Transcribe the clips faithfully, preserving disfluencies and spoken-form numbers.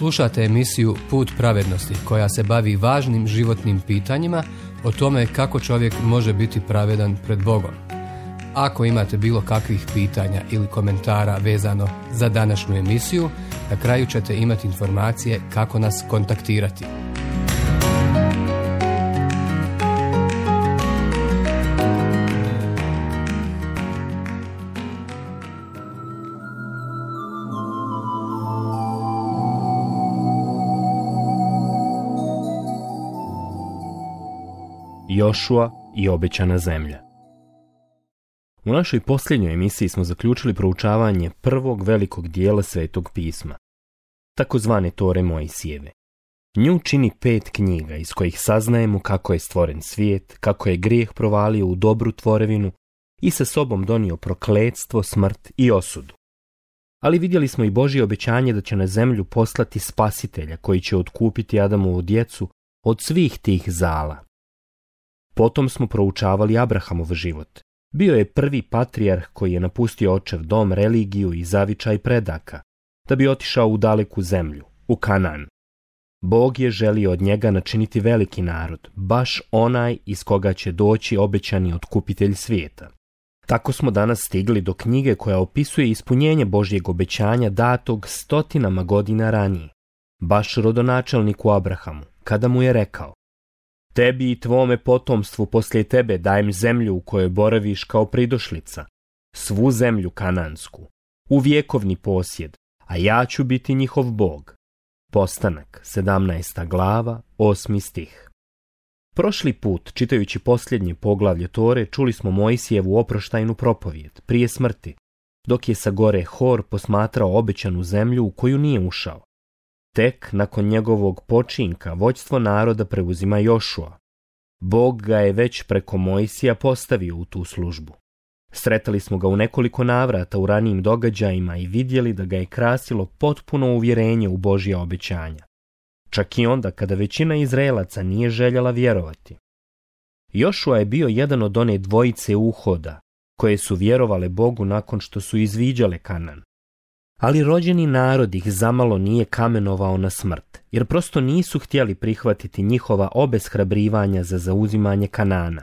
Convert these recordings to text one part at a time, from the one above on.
Slušate emisiju Put pravednosti koja se bavi važnim životnim pitanjima o tome kako čovjek može biti pravedan pred Bogom. Ako imate bilo kakvih pitanja ili komentara vezano za današnju emisiju, na kraju ćete imati informacije kako nas kontaktirati. Jošua i obećana zemlja. U našoj posljednjoj emisiji smo zaključili proučavanje prvog velikog dijela Svetog pisma, takozvane Tore Mojsijeve. Nju čini pet knjiga iz kojih saznajemo kako je stvoren svijet, kako je grijeh provalio u dobru tvorevinu i sa sobom donio prokletstvo, smrt i osudu. Ali vidjeli smo i Božje obećanje da će na zemlju poslati spasitelja koji će otkupiti Adamovu djecu od svih tih zala. Potom smo proučavali Abrahamov život. Bio je prvi patrijarh koji je napustio očev dom, religiju i zavičaj predaka, da bi otišao u daleku zemlju, u Kanaan. Bog je želio od njega načiniti veliki narod, baš onaj iz koga će doći obećani otkupitelj svijeta. Tako smo danas stigli do knjige koja opisuje ispunjenje Božjeg obećanja datog stotinama godina ranije, baš rodonačelniku Abrahamu, kada mu je rekao: tebi i tvome potomstvu poslije tebe dajem zemlju u kojoj boraviš kao pridošlica, svu zemlju kanansku, u vjekovni posjed, a ja ću biti njihov Bog. Postanak, sedamnaesta glava, osmi stih. Prošli put, čitajući posljednje poglavlje Tore, čuli smo Mojsijevu oproštajnu propovijed, prije smrti, dok je sa gore Hor posmatrao obećanu zemlju u koju nije ušao. Tek nakon njegovog počinka vođstvo naroda preuzima Jošua. Bog ga je već preko Mojsija postavio u tu službu. Sretali smo ga u nekoliko navrata u ranijim događajima i vidjeli da ga je krasilo potpuno uvjerenje u Božja obećanja. Čak i onda kada većina Izraelaca nije željela vjerovati. Jošua je bio jedan od one dvojice uhoda koje su vjerovale Bogu nakon što su izviđale Kanaan. Ali rođeni narod ih zamalo nije kamenovao na smrt, jer prosto nisu htjeli prihvatiti njihova obeshrabrivanja za zauzimanje Kanaana.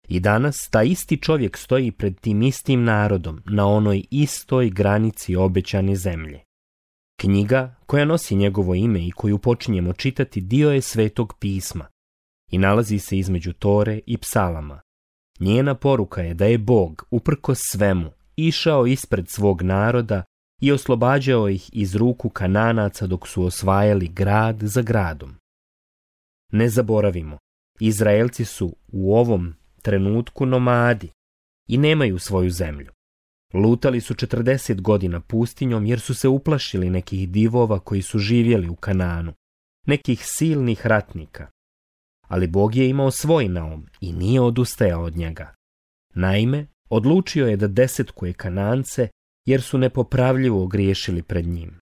I danas ta isti čovjek stoji pred tim istim narodom na onoj istoj granici obećane zemlje. Knjiga koja nosi njegovo ime i koju počinjemo čitati dio je Svetog pisma i nalazi se između Tore i Psalama. Njena poruka je da je Bog, uprkos svemu, išao ispred svog naroda i oslobađao ih iz ruku Kananaca dok su osvajali grad za gradom. Ne zaboravimo, Izraelci su u ovom trenutku nomadi i nemaju svoju zemlju. Lutali su četrdeset godina pustinjom jer su se uplašili nekih divova koji su živjeli u Kanaanu, nekih silnih ratnika. Ali Bog je imao svoj naum i nije odustajao od njega. Naime, odlučio je da desetkuje Kanance jer su nepopravljivo griješili pred njim.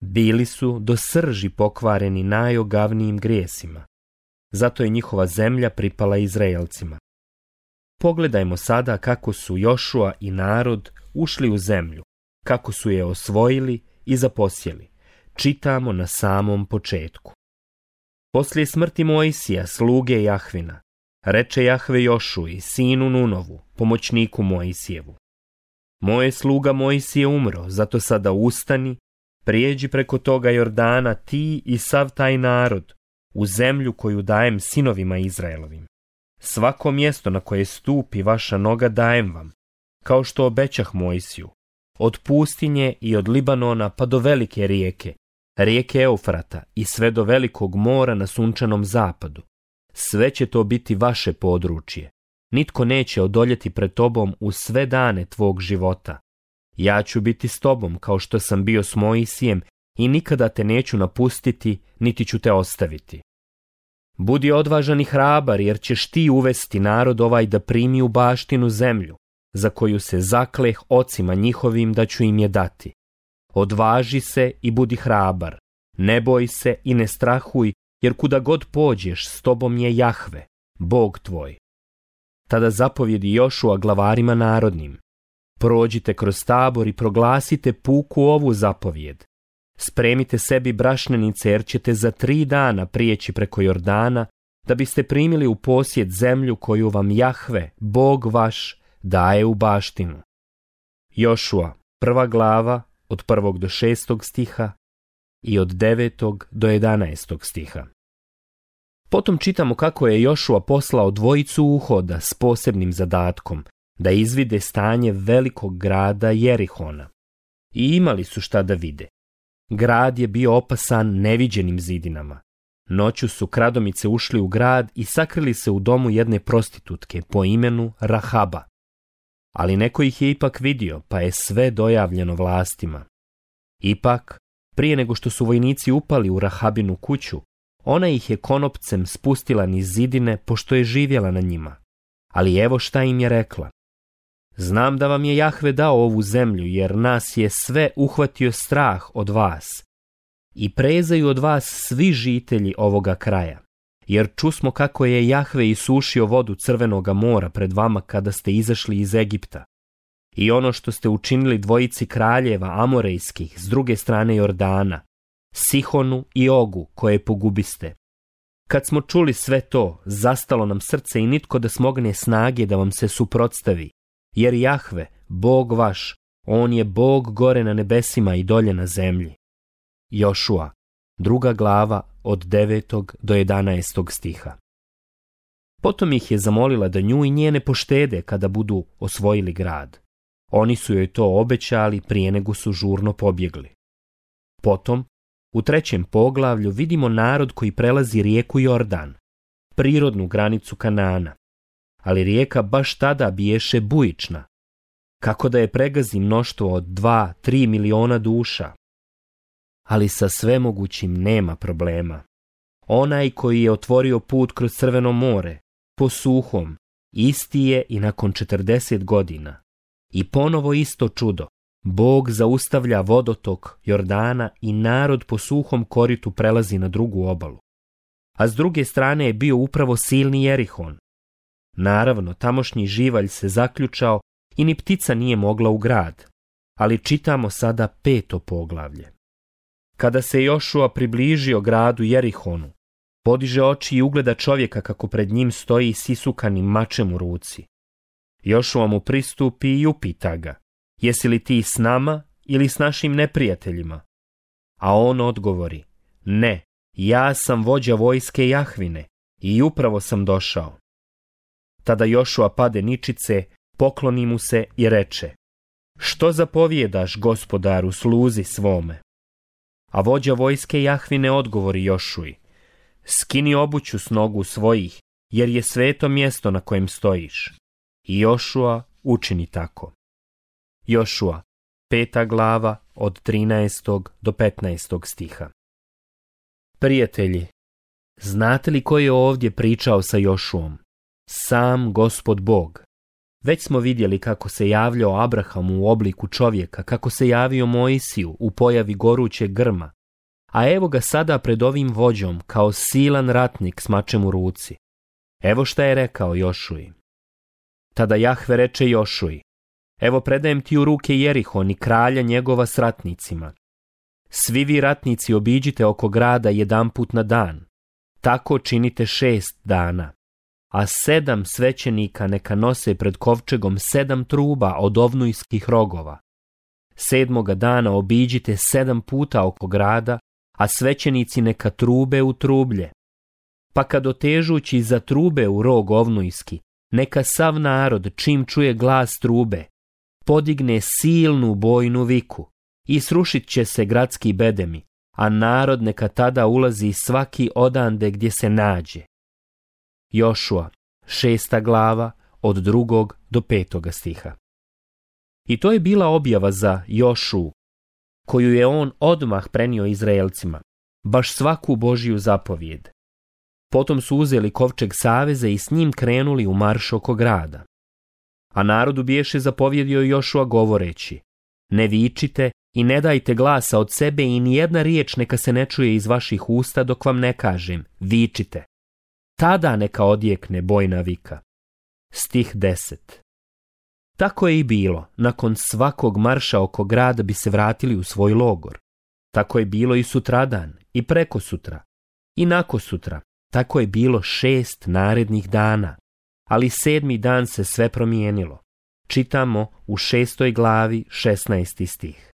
Bili su do srži pokvareni najogavnijim grijesima. Zato je njihova zemlja pripala Izraelcima. Pogledajmo sada kako su Jošua i narod ušli u zemlju, kako su je osvojili i zaposjeli. Čitamo na samom početku. Poslije smrti Mojsija, sluge Jahvina, reče Jahve Jošui, sinu Nunovu, pomoćniku Mojsijevu: moj sluga Mojsije umro, zato sada ustani, prijeđi preko toga Jordana ti i sav taj narod u zemlju koju dajem sinovima Izraelovim. Svako mjesto na koje stupi vaša noga dajem vam, kao što obećah Mojsiju, od pustinje i od Libanona pa do velike rijeke, rijeke Eufrata i sve do velikog mora na sunčanom zapadu. Sve će to biti vaše područje. Nitko neće odoljeti pred tobom u sve dane tvog života. Ja ću biti s tobom kao što sam bio s Mojsijem i nikada te neću napustiti, niti ću te ostaviti. Budi odvažan i hrabar, jer ćeš ti uvesti narod ovaj da primi u baštinu zemlju, za koju se zakleh ocima njihovim da ću im je dati. Odvaži se i budi hrabar, ne boj se i ne strahuj, jer kuda god pođeš s tobom je Jahve, Bog tvoj. Tada zapovjedi Jošua glavarima narodnim: prođite kroz tabor i proglasite puku ovu zapovjed. Spremite sebi brašnenice, jer ćete za tri dana prijeći preko Jordana, da biste primili u posjed zemlju koju vam Jahve, Bog vaš, daje u baštinu. Jošua, prva glava, od prvog do šestog stiha i od devetog do jedanaestog stiha. Potom čitamo kako je Jošua poslao dvojicu uhoda s posebnim zadatkom da izvide stanje velikog grada Jerihona. I imali su šta da vide. Grad je bio opasan neviđenim zidinama. Noću su kradomice ušli u grad i sakrili se u domu jedne prostitutke po imenu Rahaba. Ali neko ih je ipak vidio, pa je sve dojavljeno vlastima. Ipak, prije nego što su vojnici upali u Rahabinu kuću, ona ih je konopcem spustila niz zidine, pošto je živjela na njima. Ali evo šta im je rekla. Znam da vam je Jahve dao ovu zemlju, jer nas je sve uhvatio strah od vas. I prezaju od vas svi žitelji ovoga kraja. Jer čusmo kako je Jahve isušio vodu Crvenoga mora pred vama kada ste izašli iz Egipta. I ono što ste učinili dvojici kraljeva amorejskih s druge strane Jordana, Sihonu i Ogu, koje pogubiste. Kad smo čuli sve to, zastalo nam srce i nitko da smogne snage da vam se suprotstavi. Jer Jahve, Bog vaš, on je Bog gore na nebesima i dolje na zemlji. Jošua, druga glava, od devetog do jedanaestog stiha. Potom ih je zamolila da nju i njene poštede kada budu osvojili grad. Oni su joj to obećali prije nego su žurno pobjegli. Potom, u trećem poglavlju vidimo narod koji prelazi rijeku Jordan, prirodnu granicu Kanaana. Ali rijeka baš tada biješe bujična, kako da je pregazi mnoštvo od dva, tri miliona duša. Ali sa svemogućim nema problema. Onaj koji je otvorio put kroz Crveno more, po suhom, isti je i nakon četrdeset godina. I ponovo isto čudo, Bog zaustavlja vodotok Jordana i narod po suhom koritu prelazi na drugu obalu. A s druge strane je bio upravo silni Jerihon. Naravno, tamošnji živalj se zaključao i ni ptica nije mogla u grad, ali čitamo sada peto poglavlje. Kada se Jošua približio gradu Jerihonu, podiže oči i ugleda čovjeka kako pred njim stoji s isukanim mačem u ruci. Jošua mu pristupi i upita ga, jesi li ti s nama ili s našim neprijateljima? A on odgovori, ne, ja sam vođa vojske Jahvine i upravo sam došao. Tada Jošua pade ničice, pokloni mu se i reče, što zapovjedaš, gospodaru, sluzi svome? A vođa vojske Jahvine odgovori Jošuji, skini obuću s nogu svojih, jer je sveto mjesto na kojem stojiš. I Jošua učini tako. Jošua, peta glava, od trinaestog do petnaestog stiha. Prijatelji, znate li ko je ovdje pričao sa Jošuom? Sam Gospod Bog. Već smo vidjeli kako se javljao Abrahamu u obliku čovjeka, kako se javio Mojsiju u pojavi gorućeg grma, a evo ga sada pred ovim vođom kao silan ratnik s mačem u ruci. Evo šta je rekao Jošuji. Tada Jahve reče Jošuji, evo predajem ti u ruke Jerihon i kralja njegova s ratnicima. Svi vi ratnici obiđite oko grada jedanput na dan, tako činite šest dana. A sedam svećenika neka nose pred kovčegom sedam truba od ovnujskih rogova. Sedmoga dana obiđite sedam puta oko grada, a svećenici neka trube u trublje. Pa kad otežući za trube u rog ovnujski, neka sav narod čim čuje glas trube, podigne silnu bojnu viku i srušit će se gradski bedemi, a narod neka tada ulazi svaki odande gdje se nađe. Jošua, šesta glava, od drugog do petoga stiha. I to je bila objava za Jošu, koju je on odmah prenio Izraelcima, baš svaku Božju zapovijed. Potom su uzeli kovčeg saveza i s njim krenuli u marš oko grada. A narodu biješe zapovjedio Jošua govoreći, ne vičite i ne dajte glasa od sebe i nijedna riječ neka se ne čuje iz vaših usta dok vam ne kažem, vičite. Tada neka odjekne bojna vika. Stih deset. Tako je i bilo, nakon svakog marša oko grada bi se vratili u svoj logor. Tako je bilo i sutradan, i prekosutra, i nakosutra. Tako je bilo šest narednih dana, ali sedmi dan se sve promijenilo. Čitamo u šestoj glavi šesnaesti stih.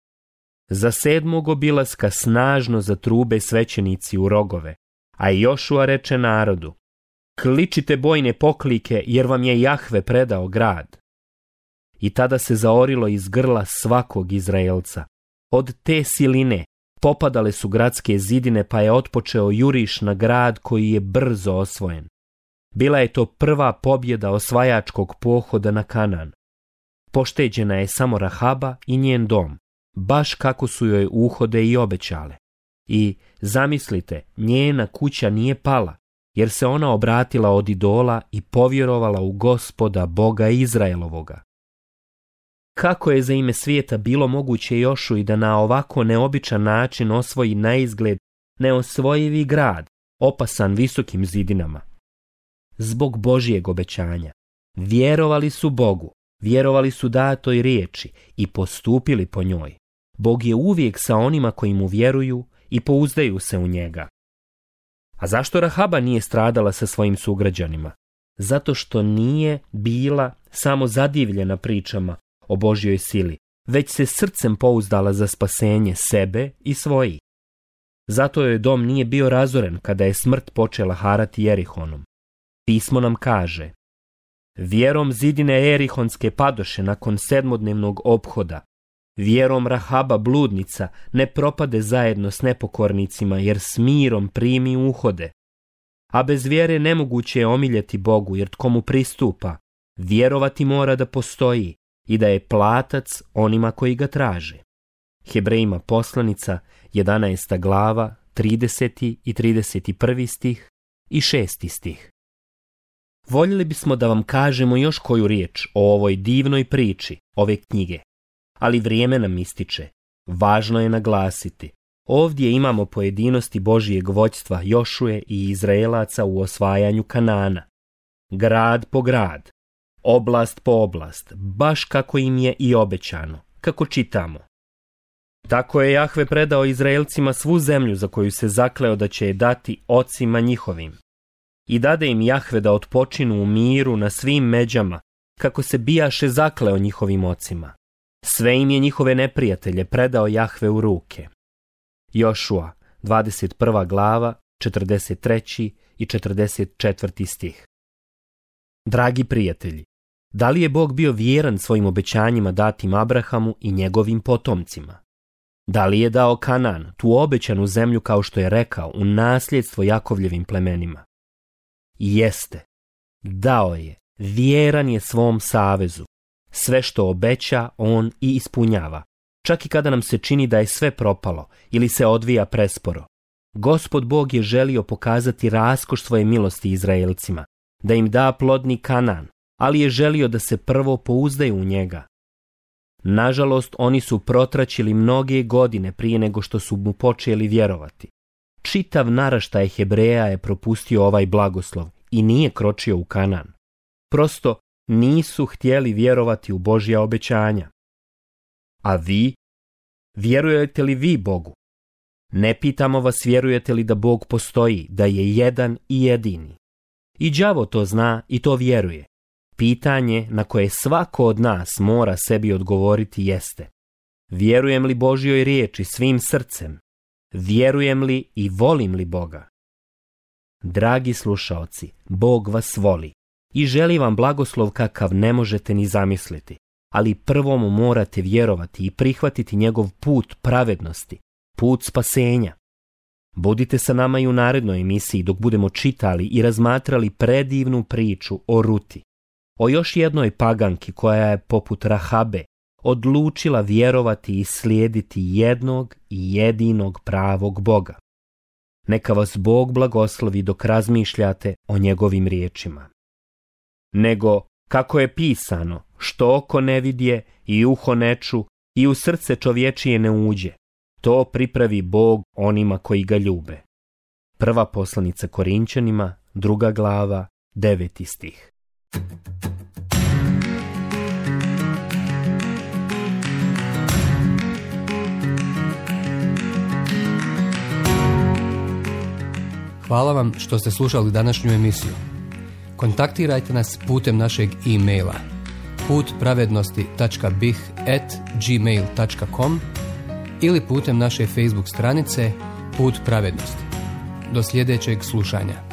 Za sedmog obilaska snažno zatrube svećenici u rogove, a Jošua reče narodu: kličite bojne poklike, jer vam je Jahve predao grad. I tada se zaorilo iz grla svakog Izraelca. Od te siline popadale su gradske zidine, pa je otpočeo juriš na grad koji je brzo osvojen. Bila je to prva pobjeda osvajačkog pohoda na Kanan. Pošteđena je samo Rahaba i njen dom, baš kako su joj uhode i obećale. I, zamislite, njena kuća nije pala, jer se ona obratila od idola i povjerovala u Gospoda Boga Izraelovoga. Kako je za ime svijeta bilo moguće Jošui da na ovako neobičan način osvoji naizgled neosvojivi grad, opasan visokim zidinama? Zbog Božijeg obećanja. Vjerovali su Bogu, vjerovali su datoj riječi i postupili po njoj. Bog je uvijek sa onima koji mu vjeruju i pouzdaju se u njega. A zašto Rahaba nije stradala sa svojim sugrađanima? Zato što nije bila samo zadivljena pričama o Božjoj sili, već se srcem pouzdala za spasenje sebe i svojih. Zato joj dom nije bio razoren kada je smrt počela harati Jerihonom. Pismo nam kaže: vjerom zidine Erihonske padoše nakon sedmodnevnog ophoda, vjerom Rahaba bludnica ne propade zajedno s nepokornicima, jer s mirom primi uhode. A bez vjere nemoguće je omiljeti Bogu, jer tko mu pristupa, vjerovati mora da postoji i da je platac onima koji ga traže. Hebrejima poslanica, jedanaesta glava, trideseti i trideset prvi stih i šesti stih. Voljeli bismo da vam kažemo još koju riječ o ovoj divnoj priči ove knjige, ali vrijeme nam ističe. Važno je naglasiti, ovdje imamo pojedinosti Božijeg vođstva Jošuje i Izraelaca u osvajanju Kanana. Grad po grad, oblast po oblast, baš kako im je i obećano, kako čitamo. Tako je Jahve predao Izraelcima svu zemlju za koju se zakleo da će je dati ocima njihovim. I dade im Jahve da otpočinu u miru na svim međama, kako se bijaše zakleo njihovim ocima. Sve im je njihove neprijatelje predao Jahve u ruke. Jošua, dvadeset prva glava, četrdeset treći i četrdeset četvrti stih. Dragi prijatelji, da li je Bog bio vjeran svojim obećanjima datim Abrahamu i njegovim potomcima? Da li je dao Kanan, tu obećanu zemlju, kao što je rekao, u nasljedstvo Jakovljevim plemenima? Jeste, dao je, vjeran je svom savezu. Sve što obeća, on i ispunjava. Čak i kada nam se čini da je sve propalo ili se odvija presporo. Gospod Bog je želio pokazati raskoš svoje milosti Izraelcima, da im da plodni Kanan, ali je želio da se prvo pouzdaju u njega. Nažalost, oni su protraćili mnoge godine prije nego što su mu počeli vjerovati. Čitav naraštaj Hebreja je propustio ovaj blagoslov i nije kročio u Kanan. Prosto nisu htjeli vjerovati u Božja obećanja. A vi? Vjerujete li vi Bogu? Ne pitamo vas vjerujete li da Bog postoji, da je jedan i jedini. I đavo to zna i to vjeruje. Pitanje na koje svako od nas mora sebi odgovoriti jeste: vjerujem li Božjoj riječi svim srcem? Vjerujem li i volim li Boga? Dragi slušaoci, Bog vas voli i želi vam blagoslov kakav ne možete ni zamisliti, ali prvo mu morate vjerovati i prihvatiti njegov put pravednosti, put spasenja. Budite sa nama i u narednoj emisiji dok budemo čitali i razmatrali predivnu priču o Ruti, o još jednoj paganki koja je poput Rahabe odlučila vjerovati i slijediti jednog i jedinog pravog Boga. Neka vas Bog blagoslovi dok razmišljate o njegovim riječima. Nego, kako je pisano, što oko ne vidje i uho ne ču i u srce čovječije ne uđe, to pripravi Bog onima koji ga ljube. Prva poslanica Korinćanima, druga glava, deveti stih. Hvala vam što ste slušali današnju emisiju. Kontaktirajte nas putem našeg e-maila put pravednosti tačka b i h at gmail tačka com ili putem naše Facebook stranice Put pravednosti. Do sljedećeg slušanja.